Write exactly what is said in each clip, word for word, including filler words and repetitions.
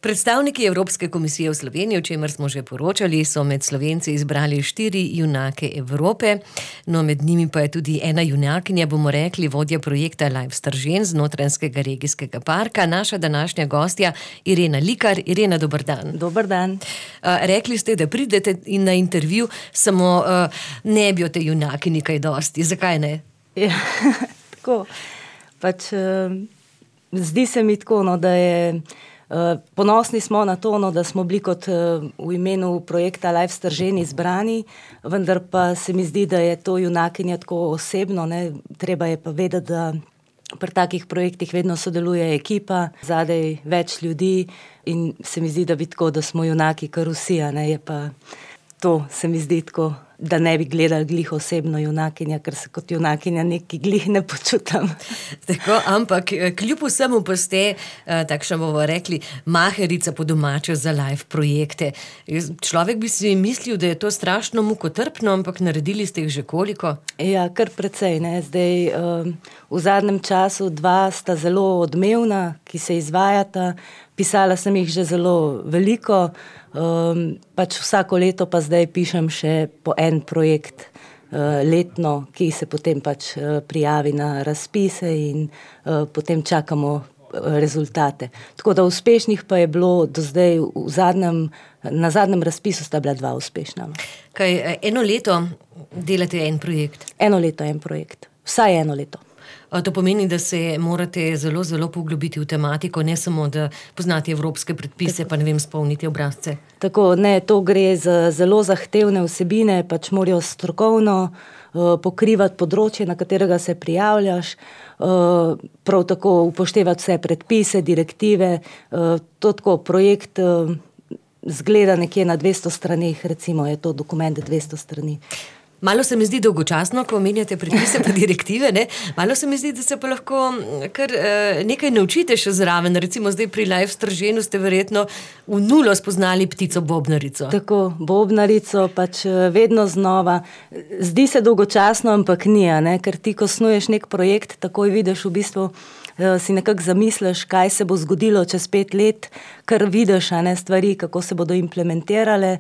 Predstavniki Evropske komisije v Sloveniji, o čemer smo že poročali, so med Slovenci izbrali štiri junake Evrope. No, med njimi pa je tudi ena junakinja, bomo rekli, vodja projekta Live Stržen z Notranjskega regijskega parka, naša današnja gostja Irena Likar. Irena, dober dan. Dober dan. Rekli ste, da pridete in na intervju, samo ne bi o te junakini kaj dosti. Zakaj ne? Ja, tako. Pač, zdi se mi tako, no, da je... Ponosni smo na to, no, da smo bili kot v imenu projekta Live Stržen izbrani, vendar pa se mi zdi, da je to junakinja tako osebno, ne. Treba je pa vedeti, da pri takih projektih vedno sodeluje ekipa, zadaj več ljudi in se mi zdi, da bi tako, da smo junaki kar vsi, a ne, je pa to, se mi zdi tako, da ne bi gledali glih osebno junakinja, ker se kot junakinja neki glih ne počutam. Tako, ampak kljub vsemu pa ste, takšno bomo rekli, maherica po domače za live projekte. Človek bi si mislil, da je to strašno mukotrpno, ampak naredili ste jih že koliko? Ja, kar precej, ne. Zdaj, v zadnjem času dva sta zelo odmevna, ki se izvajata. Pisala sem jih že zelo veliko, um, pač vsako leto pa zdaj pišem še po en projekt uh, letno, ki se potem pač uh, prijavi na razpise in uh, potem čakamo uh, rezultate. Tako da uspešnih pa je bilo do zdaj v zadnjem, na zadnjem razpisu sta bila dva uspešna. Kaj, eno leto delate en projekt? Eno leto en projekt, vsaj eno leto. To pomeni, da se morate zelo, zelo poglobiti v tematiko, ne samo, da poznate evropske predpise, tako, pa ne vem, spolniti obrazce. Tako, ne, to gre za zelo zahtevne vsebine, pač morajo strokovno uh, pokrivati področje, na katerega se prijavljaš, uh, prav tako upoštevati vse predpise, direktive, uh, to tako projekt uh, zgleda nekje na dvesto straneh, recimo je to dokument dvesto strani. Malo se mi zdi dolgočasno, ko omenjate predpise pa direktive, ne? Malo se mi zdi, da se pa lahko kar eh, nekaj naučite še zraven. Recimo zdaj pri Live Strženu ste verjetno v nulo spoznali ptico bobnarico. Tako, bobnarico pač vedno znova. Zdi se dolgočasno, ampak ni, ne? Ker ti, ko snuješ nek projekt, takoj vidiš v bistvu, si nekako zamisliš, kaj se bo zgodilo čez pet let, kar vidiš, a ne, stvari, kako se bodo implementirale,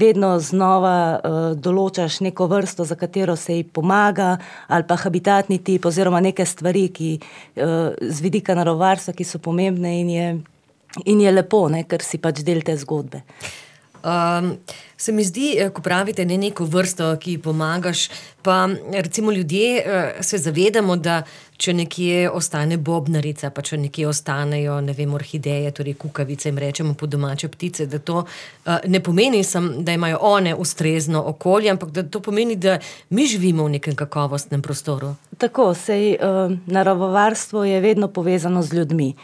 vedno znova določaš neko vrsto, za katero se ji pomaga, ali pa habitatni tip, oziroma neke stvari, ki z vidika naravovarstva, ki so pomembne in je, in je lepo, ne, ker si pač del te zgodbe. Um, se mi zdi, ko pravite ne neko vrsto, ki pomagaš, pa recimo ljudje se zavedamo, da če nekje ostane bobnarica, pa če nekje ostanejo, ne vem, orhideje, torej kukavice, jim rečemo po domače ptice, da to uh, ne pomeni sam, da imajo one ustrezno okolje, ampak da to pomeni, da mi živimo v nekem kakovostnem prostoru. Tako, sej uh, naravovarstvo je vedno povezano z ljudmi.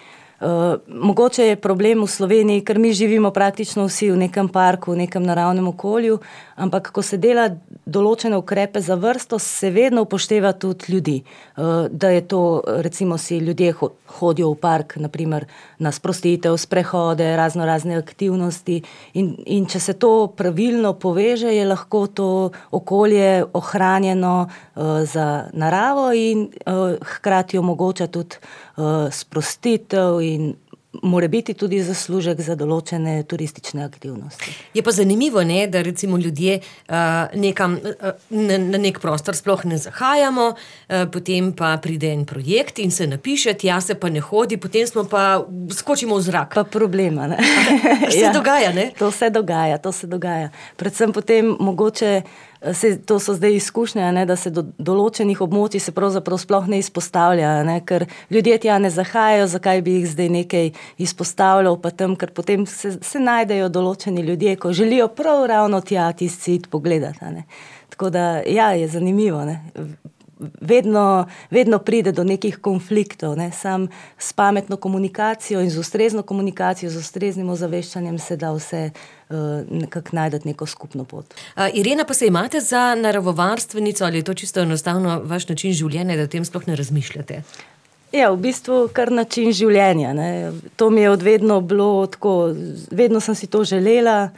Uh, mogoče je problem v Sloveniji, ker mi živimo praktično vsi v nekem parku, v nekem naravnem okolju, ampak ko se dela določene ukrepe za vrsto, se vedno upošteva tudi ljudi. Uh, da je to, recimo si ljudje hodijo v park, naprimer na sprostitev, sprehode, razno razne aktivnosti in, in če se to pravilno poveže, je lahko to okolje ohranjeno uh, za naravo in uh, hkrati omogoča tudi uh, sprostitev in mora biti tudi zaslužek za določene turistične aktivnosti. Je pa zanimivo, ne, da recimo ljudje uh, nekam, uh, na, na nek prostor sploh ne zahajamo, uh, potem pa pride en projekt in se napiše, tja se pa ne hodi, potem smo pa skočimo v zrak. Pa problema, ne. Se ja, dogaja, ne? To se dogaja, to se dogaja. Predvsem potem mogoče Se, to so zdaj izkušnje, ne, da se do določenih območij se pravzaprav sploh ne izpostavlja, ne, ker ljudje tja ne zahajajo, zakaj bi jih zdaj nekaj izpostavljal, pa tam, ker potem se, se najdejo določeni ljudje, ko želijo prav ravno tja tisti cit pogledati. Ne. Tako da, ja, je zanimivo, ne. Vedno, vedno pride do nekih konfliktov, ne. Sam s pametno komunikacijo in z ustrezno komunikacijo, z ustreznim ozaveščanjem se da vse uh, nekako najdeti neko skupno pot. Uh, Irena, pa se imate za naravovarstvenico ali je to čisto enostavno vaš način življenja, da o tem sploh ne razmišljate? Ja, v bistvu kar način življenja, ne. To mi je od vedno bilo tako, vedno sem si to želela,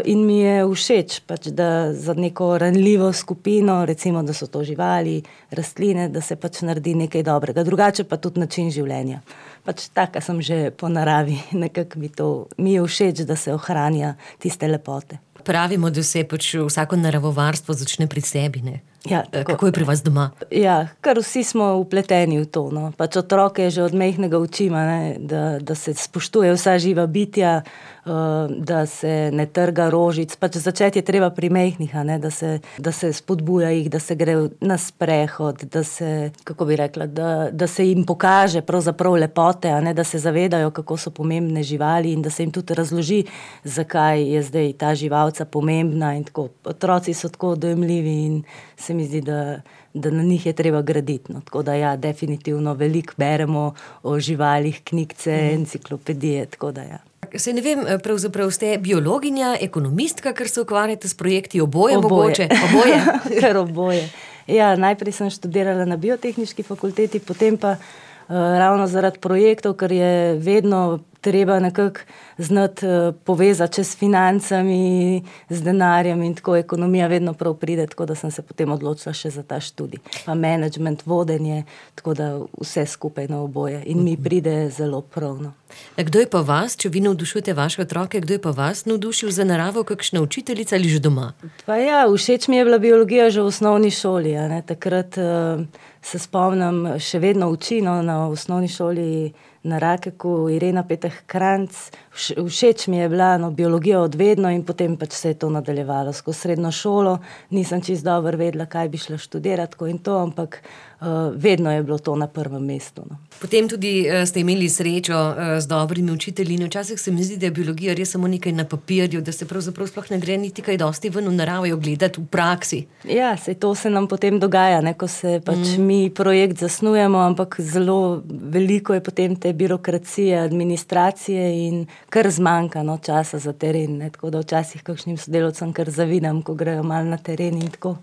in mi je všeč, pač, da za neko ranljivo skupino, recimo, da so to živali, rastline, da se pač naredi nekaj dobrega. Drugače pa tudi način življenja. Pač taka sem že po naravi, nekako mi to, mi je všeč, da se ohranja tiste lepote. Pravimo, da se pač vsako naravovarstvo začne pri sebi, ne? Ja, kako je pri vas doma? Ja, kar vsi smo vpleteni v to, no. Pač otroke že od majhnega učimo, ne, da, da se spoštuje vsa živa bitja, uh, da se ne trga rožic. Pač začeti je treba pri majhnih, a ne, da se, da se spodbuja jih, da se gre na sprehod, da se, kako bi rekla, da, da se jim pokaže pravzaprav lepote, a ne, da se zavedajo, kako so pomembne živali in da se jim tudi razloži, zakaj je zdaj ta živalca pomembna in tako. Otroci so tako dojemljivi in se mi zdi, da, da na njih je treba graditi. No. Tako da ja, definitivno veliko beremo o živalih, knjigce, mm. enciklopedije, tako da ja. Se ne vem, pravzaprav ste biologinja, ekonomistka, ker se ukvarjate s projekti, oboje, oboje. mogoče? Oboje. Ker oboje. Ja, najprej sem študirala na biotehniški fakulteti, potem pa uh, ravno zaradi projektov, ker je vedno treba nekako znati uh, povezati čez financami, z denarjem in tako ekonomija vedno prav pride, tako da sem se potem odločila še za ta študij. Pa management, vodenje, tako da vse skupaj na oboje in mi pride zelo prav. No. Kdo je pa vas, če vi navdušujete vaše otroke, kdo je pa vas navdušil za naravo, kakšna učiteljica ali že doma? Pa ja, všeč mi je bila biologija že v osnovni šoli, a ne, takrat uh, se spomnim, še vedno učino na osnovni šoli na Rakeku, Irena Peteh Kranc. Všeč mi je bila no, biologija od vedno in potem pač se je to nadaljevalo skozi srednjo šolo. Nisem čisto dobro vedela, kaj bi šla študirati, tako in to, ampak uh, vedno je bilo to na prvem mestu. No. Potem tudi uh, ste imeli srečo uh, z dobrimi učitelji. Včasih se mi zdi, da je biologija res samo nekaj na papirju, da se pravzaprav sploh ne gre niti kaj dosti ven v naravo gledati v praksi. Ja, sej to se nam potem dogaja, ne, ko se pač mm. mi projekt zasnujemo, ampak zelo veliko je potem te birokracije, administracije in kar zmanjka no, časa za teren. Ne? Tako da včasih kakšnim sodelavcem kar zavidam, ko grejo malo na teren in tako.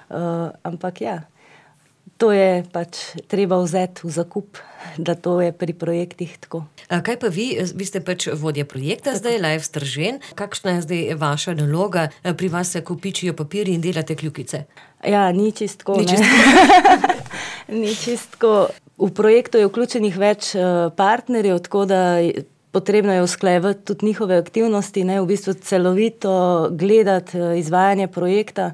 Uh, ampak ja, to je pač treba vzeti v zakup, da to je pri projektih tako. A kaj pa vi? Vi ste pač vodja projekta zdaj, Life Stržen. Kakšna je zdaj vaša naloga? Pri vas se kopičijo papirji in delate kljukice? Ja, ni čistko. Ni čistko. Ni čistko. V projektu je vključenih več partnerjev, tako da potrebno je usklajevati tudi njihove aktivnosti, ne, v bistvu celovito gledati izvajanje projekta,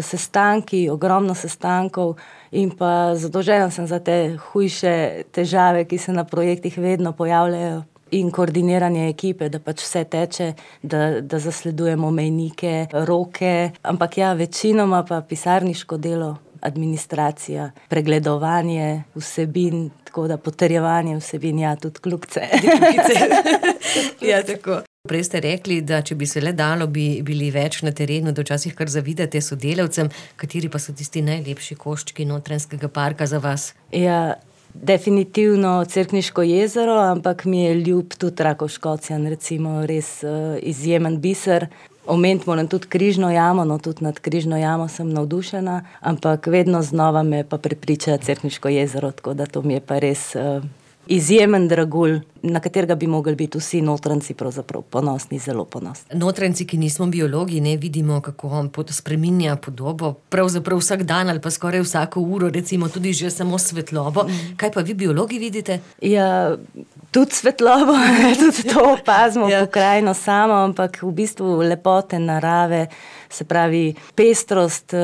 sestanki, ogromno sestankov in pa zadolžena sem za te hujše težave, ki se na projektih vedno pojavljajo in koordiniranje ekipe, da pač vse teče, da, da zasledujemo mejnike, roke, ampak ja, večinoma pa pisarniško delo, administracija, pregledovanje vsebin, tako da potrjevanje vsebin, ja, tudi kljukice. Ja, tako. Prej ste rekli, da če bi se le dalo, bi bili več na terenu, da včasih kar zavidate sodelavcem, kateri pa so tisti najlepši koščki Notranjskega parka za vas? Ja, definitivno Cerkniško jezero, ampak mi je ljub tudi Rakovškocjan, recimo res uh, izjemen biser. Omeniti moram tudi Križno jamo, no tudi nad Križno jamo sem navdušena, ampak vedno znova me pa prepriča Cerkniško jezero, tako da to mi je pa res uh, izjemen dragulj, na katerega bi mogli biti vsi Notranjci pravzaprav ponosni, zelo ponosni. Notranjci, ki nismo biologi, ne vidimo, kako on spreminja podobo, pravzaprav vsak dan ali pa skoraj vsako uro, recimo tudi že samo svetlobo. Mm. Kaj pa vi biologi vidite? Ja, tudi svetlobo, tudi to opazimo ja. Pokrajino samo, ampak v bistvu lepote narave, se pravi pestrost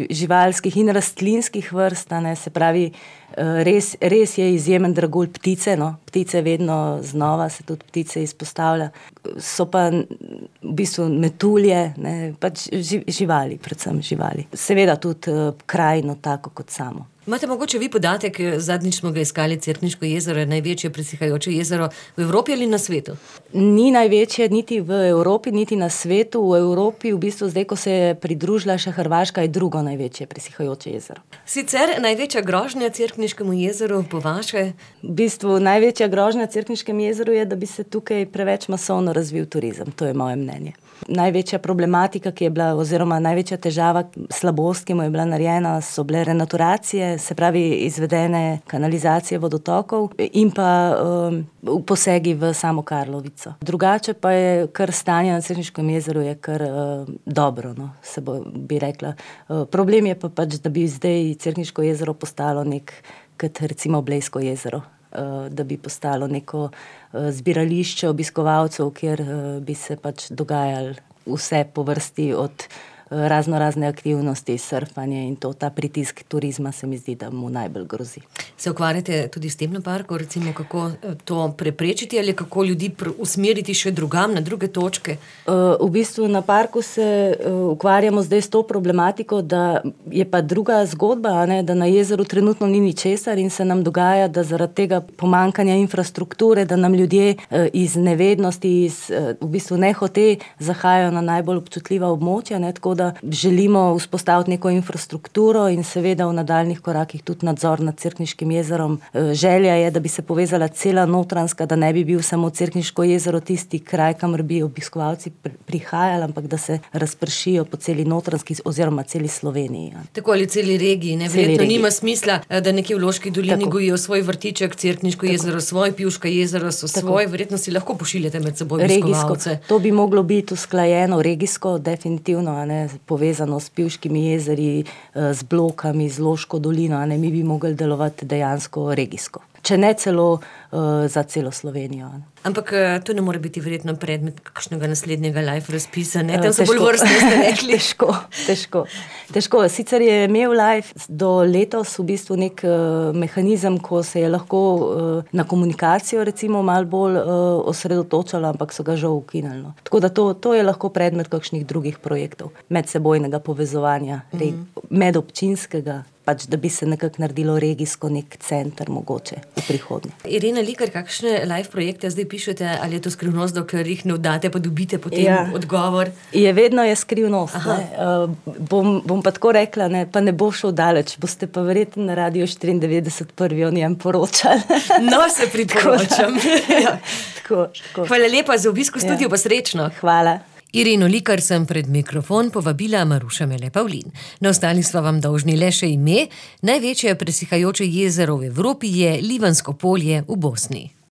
živalskih in rastlinskih vrst, ne, se pravi res, res je izjemen dragulj ptice, no, ptice vedno znova se tudi ptice izpostavlja, so pa v bistvu metulje, ne, pač živali, predvsem živali. Seveda tudi krajino tako kot samo. Imate mogoče vi podatek, zadnjič smo ga iskali, Cerkniško jezero je največje presihajoče jezero v Evropi ali na svetu? Ni največje niti v Evropi, niti na svetu. V Evropi, v bistvu zdaj, ko se je pridružila še Hrvaška, je drugo največje presihajoče jezero. Sicer največja grožnja Cerkniškemu jezeru po vaše? V bistvu največja grožnja Cerkniškemu jezeru je, da bi se tukaj preveč masovno razvil turizem. To je moje mnenje. Največja problematika, ki je bila, oziroma največja težava, slabost, ki mu je bila narejena, so bile renaturacije, se pravi izvedene kanalizacije vodotokov in pa um, posegi v samo Karlovico. Drugače pa je kar stanje na Cerkniškem jezeru je kar uh, dobro, no, se bo, bi rekla. Uh, problem je pa pač, da bi zdaj Cerkniško jezero postalo nek, kot recimo Blejsko jezero. Da bi postalo neko zbirališče obiskovalcev, kjer bi se pač dogajali vse po vrsti od razno razne aktivnosti, surfanje in to, ta pritisk turizma se mi zdi, da mu najbolj grozi. Se ukvarjate tudi s tem na parku, recimo kako to preprečiti ali kako ljudi usmeriti še drugam na druge točke? V bistvu na parku se ukvarjamo zdaj s to problematiko, da je pa druga zgodba, ne, da na jezeru trenutno ni ničesar in se nam dogaja, da zaradi tega pomankanja infrastrukture, da nam ljudje iz nevednosti, iz v bistvu nehote zahajajo na najbolj občutljiva območja, ne, tako da želimo vzpostaviti neko infrastrukturo in seveda v nadaljnih korakih tudi nadzor nad Cerkniškim jezerom. Želja je, da bi se povezala cela Notranjska, da ne bi bil samo Cerkniško jezero tisti kraj, kamor bi obiskovalci prihajali, ampak da se razpršijo po celi Notranjski oziroma celi Sloveniji. Ja. Tako ali celi regiji, ne? Verjetno nima smisla, da nekje v Loški dolini Tako. gojijo svoj vrtiček, Cerkniško Tako. jezero, svoj Pivška jezero so Tako. svoj, verjetno si lahko pošiljate med seboj obiskovalce. Regijsko. To bi moglo biti usklajeno regijsko, definitivno, a ne, povezano s Pivškimi jezeri, z Blokami, z Loško dolino, a ne, mi bi mogli delovati dejansko regijsko. Če ne celo uh, za celo Slovenijo. Ne. Ampak to ne more biti verjetno predmet kakšnega naslednjega live razpisa, ne? Tam so bolj vrstne, ste rekli. Težko, težko. Težko. Sicer je imel live do letos v bistvu nek uh, mehanizem, ko se je lahko uh, na komunikacijo recimo malo bolj uh, osredotočalo, ampak so ga žal ukinili. No. Tako da to, to je lahko predmet kakšnih drugih projektov, medsebojnega povezovanja, mm-hmm. reg, medobčinskega, pač da bi se nekako naredilo regijsko nek center mogoče v prihodnje. Irena Likar, kakšne live projekte zdaj pišete, ali je to skrivnost, dokler jih ne vdate, pa dobite potem ja. odgovor? Je vedno je skrivnost. Uh, bom, bom pa tako rekla, ne, pa ne bo šel daleč, boste pa verjetno na Radiu štiriindevetdeset prvi o njem poročali. No, se priporočam. ja, tako, tako. Hvala lepa za obisk v studiu, ja. pa srečno. Hvala. Ireno Likar sem pred mikrofon povabila Maruša Mele-Pavlin. Na ostali sva vam dolžni le še ime. Največje presihajoče jezero v Evropi je Livansko polje v Bosni.